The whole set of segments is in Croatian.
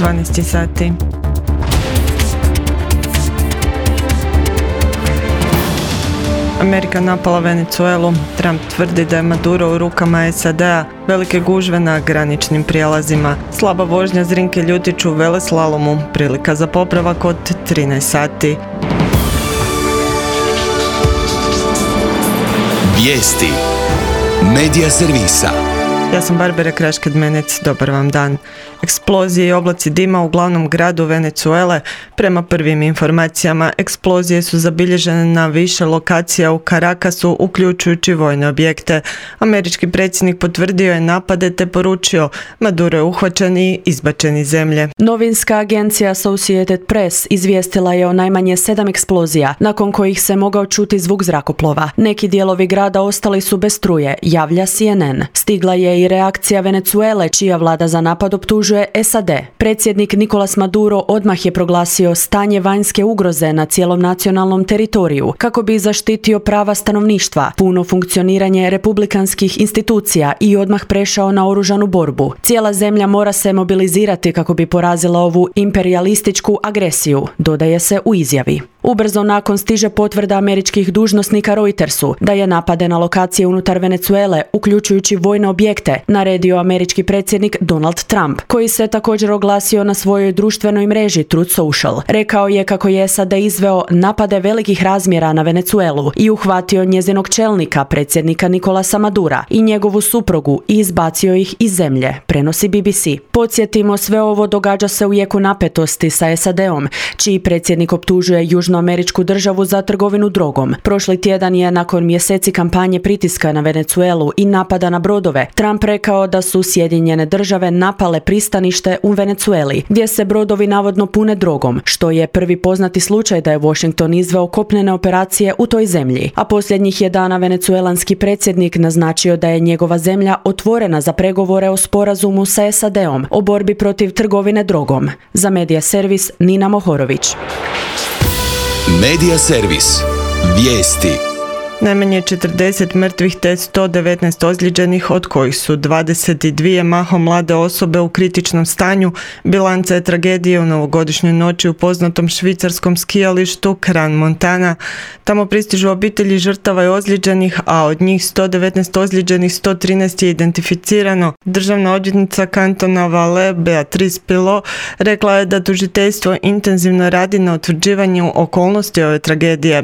12 sati. Amerika napala Venezuelu. Trump tvrdi da je Maduro u rukama SAD-a, velike gužve na graničnim prijelazima, slaba vožnja Zrinke Ljutiću u veleslalomu, prilika za popravak od 13 sati. Vijesti Medija servisa. Ja sam Barbara Krašked-Menec, dobar vam dan. Eksplozije i oblaci dima u glavnom gradu Venezuele. Prema prvim informacijama, eksplozije su zabilježene na više lokacija u Caracasu, uključujući vojne objekte. Američki predsjednik potvrdio je napade te poručio: Maduro je uhvaćen i izbačen iz zemlje. Novinska agencija Associated Press izvijestila je o najmanje 7 eksplozija, nakon kojih se mogao čuti zvuk zrakoplova. Neki dijelovi grada ostali su bez struje, javlja CNN. Stigla je i reakcija Venezuele, čija vlada za napad optužuje SAD. Predsjednik Nicolas Maduro odmah je proglasio stanje vanjske ugroze na cijelom nacionalnom teritoriju kako bi zaštitio prava stanovništva, puno funkcioniranje republikanskih institucija i odmah prešao na oružanu borbu. Cijela zemlja mora se mobilizirati kako bi porazila ovu imperijalističku agresiju, dodaje se u izjavi. Ubrzo nakon stiže potvrda američkih dužnosnika Reutersu da je napade na lokacije unutar Venezuele, uključujući vojne objekte, naredio američki predsjednik Donald Trump, koji se također oglasio na svojoj društvenoj mreži Truth Social. Rekao je kako je SAD izveo napade velikih razmjera na Venezuelu i uhvatio njezinog čelnika, predsjednika Nicolasa Madura, i njegovu suprugu i izbacio ih iz zemlje, prenosi BBC. Podsjetimo, sve ovo događa se u jeku napetosti sa SAD-om, čiji predsjednik optužuje južnoameričku državu za trgovinu drogom. Prošli tjedan je, nakon mjeseci kampanje pritiska na Venezuelu i napada na brodove, Trump rekao da su Sjedinjene države napale pristanište u Venezueli, gdje se brodovi navodno pune drogom, što je prvi poznati slučaj da je Washington izveo kopnene operacije u toj zemlji. A posljednjih je dana venezuelanski predsjednik naznačio da je njegova zemlja otvorena za pregovore o sporazumu sa SAD-om o borbi protiv trgovine drogom. Za Medija servis Nina Mohorović. Medija servis. Vijesti. Najmanje 40 mrtvih te 119 ozlijeđenih, od kojih su 22 mahom mlade osobe u kritičnom stanju. Bilanca je tragedije u novogodišnjoj noći u poznatom švicarskom skijalištu Crans Montana. Tamo pristižu obitelji žrtava i ozlijeđenih, a od njih 119 ozlijeđenih 113 je identificirano. Državna odvjetnica kantona Valais Beatrice Pilot rekla je da tužiteljstvo intenzivno radi na utvrđivanju okolnosti ove tragedije.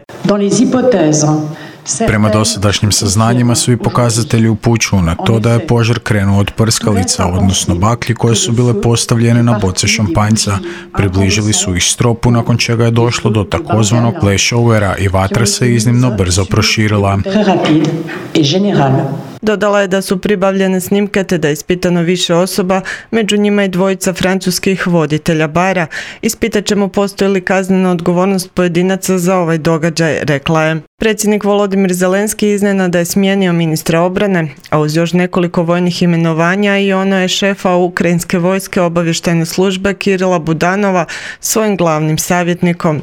Prema dosadašnjim saznanjima, svi pokazatelji upućuju na to da je požar krenuo od prskalica, odnosno baklji koje su bile postavljene na boce šampanjca. Približili su ih stropu, nakon čega je došlo do takozvanog flashovera i vatra se iznimno brzo proširila. Dodala je da su pribavljene snimke te da je ispitano više osoba, među njima i dvojica francuskih voditelja bara. Ispitat ćemo postoji li kaznena odgovornost pojedinaca za ovaj događaj, rekla je. Predsjednik Volodimir Zelenski iznenada je smijenio ministra obrane, a uz još nekoliko vojnih imenovanja i ono je šefa ukrajinske vojske obavještajne službe Kirila Budanova svojim glavnim savjetnikom.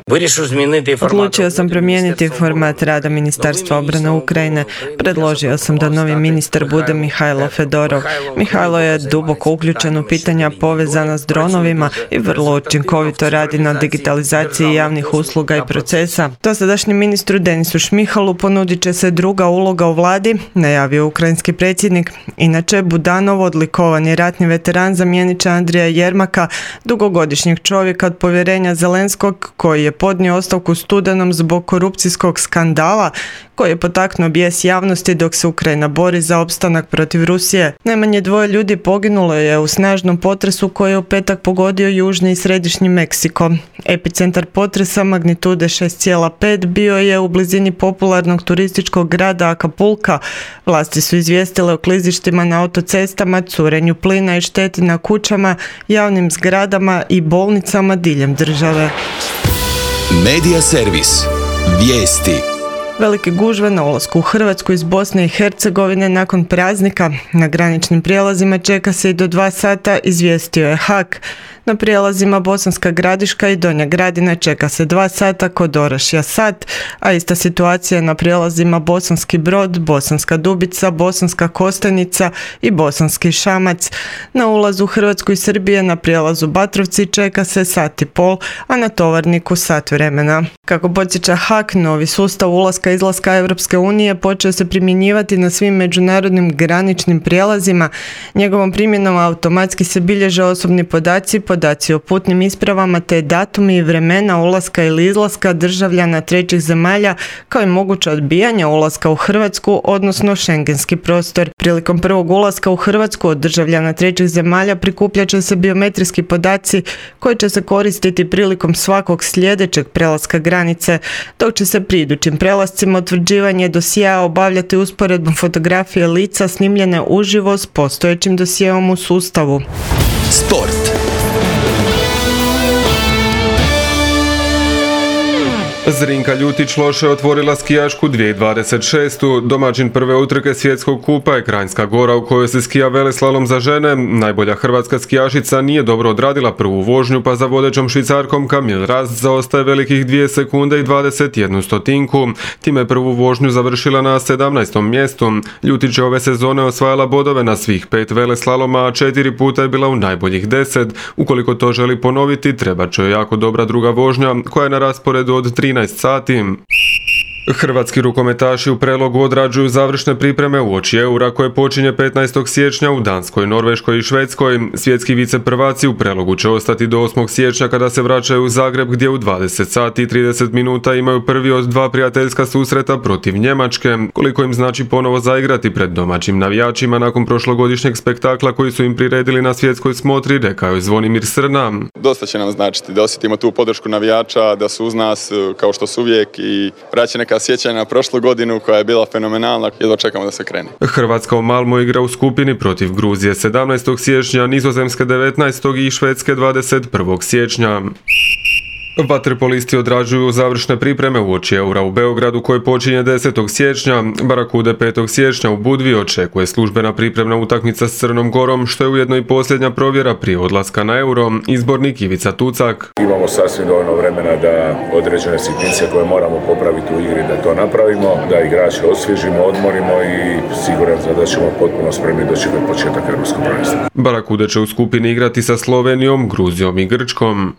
Odlučio sam promijeniti format rada Ministarstva obrane Ukrajine. Predložio sam da novi ministar bude Mihajlo Fedorov. Mihajlo je duboko uključen u pitanja povezana s dronovima i vrlo učinkovito radi na digitalizaciji javnih usluga i procesa. Dosadašnjem ministru Denisu Šmihalu ponudit će se druga uloga u vladi, najavio ukrajinski predsjednik. Inače, Budanov, odlikovani ratni veteran, zamijenit će Andrija Jermaka, dugogodišnjeg čovjeka od povjerenja Zelenskog, koji je podnio ostavku u studenom zbog korupcijskog skandala koji je potaknuo bijes javnosti dok se Ukrajina bori za opstanak protiv Rusije. Najmanje 2 ljudi poginulo je u snažnom potresu koji je u petak pogodio južni i središnji Meksiko. Epicentar potresa magnitude 6,5 bio je u blizini popularnog turističkog grada Acapulca. Vlasti su izvijestile o klizištima na autocestama, curenju plina i šteti na kućama, javnim zgradama i bolnicama diljem države. Medija servis. Vijesti. Velike gužve na ulasku u Hrvatsku iz Bosne i Hercegovine nakon praznika. Na graničnim prijelazima čeka se i do 2 sata, izvijestio je HAK. Na prijelazima Bosanska Gradiška i Donja Gradina čeka se 2 sata, kod Orašja sat, a ista situacija na prijelazima Bosanski Brod, Bosanska Dubica, Bosanska Kostajnica i Bosanski Šamac. Na ulazu u Hrvatsku i Srbije na prijelazu Batrovci čeka se 1,5 sata, a na Tovarniku sat vremena. Kako podsjeća HAK, novi sustav ulaska i izlaska Europske unije počeo se primjenjivati na svim međunarodnim graničnim prijelazima. Njegovom primjenom automatski se bilježe osobni podaci o putnim ispravama te datumi i vremena ulaska ili izlaska državljana trećih zemalja, kao i moguće odbijanje ulaska u Hrvatsku, odnosno šengenski prostor. Prilikom prvog ulaska u Hrvatsku od državljana trećih zemalja prikupljat će se biometrijski podaci koji će se koristiti prilikom svakog sljedećeg prelaska granice, dok će se pri idućim prelascima utvrđivanje dosjea obavljati usporedbom fotografije lica snimljene uživo s postojećim dosjeom u sustavu. Sport. Zrinka Ljutić loše otvorila skijašku 2026. Domaćin prve utrke svjetskog kupa je Kranjska Gora u kojoj se skija veleslalom za žene. Najbolja hrvatska skijašica nije dobro odradila prvu vožnju, pa za vodećom Švicarkom Camille Rast zaostaje velikih 2 sekunde i 21 stotinku. Time prvu vožnju završila na 17. mjestu. Ljutić je ove sezone osvajala bodove na svih 5 veleslaloma, a 4 puta je bila u najboljih 10. Ukoliko to želi ponoviti, treba će joj jako dobra druga vožnja koja je na rasporedu od 13 sati. Hrvatski rukometaši u Prelogu odrađuju završne pripreme uoči Eura koje počinje 15. siječnja u Danskoj, Norveškoj i Švedskoj. Svjetski viceprvaci u Prelogu će ostati do 8. siječnja kada se vraćaju u Zagreb gdje u 20 sati i 30 minuta imaju prvi od 2 prijateljska susreta protiv Njemačke. Koliko im znači ponovo zaigrati pred domaćim navijačima nakon prošlogodišnjeg spektakla koji su im priredili na svjetskoj smotri, rekao je Zvonimir Srna. Dosta će nam značiti da osjetimo tu podršku navijača, da su uz nas kao što su uvijek i vraća neka sjećanja na prošlu godinu koja je bila fenomenalna. Jedva čekamo da se krene. Hrvatska u Malmo igra u skupini protiv Gruzije 17. siječnja, Nizozemske 19. i Švedske 21. siječnja. Vaterpolisti odrađuju završne pripreme uoči Eura u Beogradu koji počinje 10. siječnja. Barakude 5. siječnja u Budvi očekuje službena pripremna utakmica s Crnom Gorom, što je ujedno i posljednja provjera prije odlaska na Euro. Izbornik Ivica Tucak. Imamo sasvim dovoljno vremena da određene sitnice koje moramo popraviti u igri da to napravimo, da igrače osvježimo, odmorimo i siguran sam da ćemo potpuno spremni dočekati početak europskog prvenstva. Barakude će u skupini igrati sa Slovenijom, Gruzijom i Grčkom.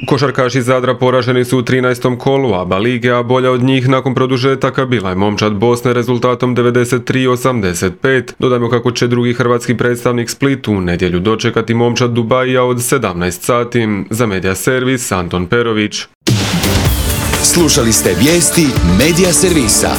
Košarkaši Zadra poraženi su u 13. kolu ABA lige, a bolja od njih nakon produžetaka bila je momčad Bosne rezultatom 93-85. Dodajmo kako će drugi hrvatski predstavnik Split u nedjelju dočekati momčad Dubaija od 17 sati. Za Medija Servis, Anton Perović. Slušali ste vijesti Medija Servisa.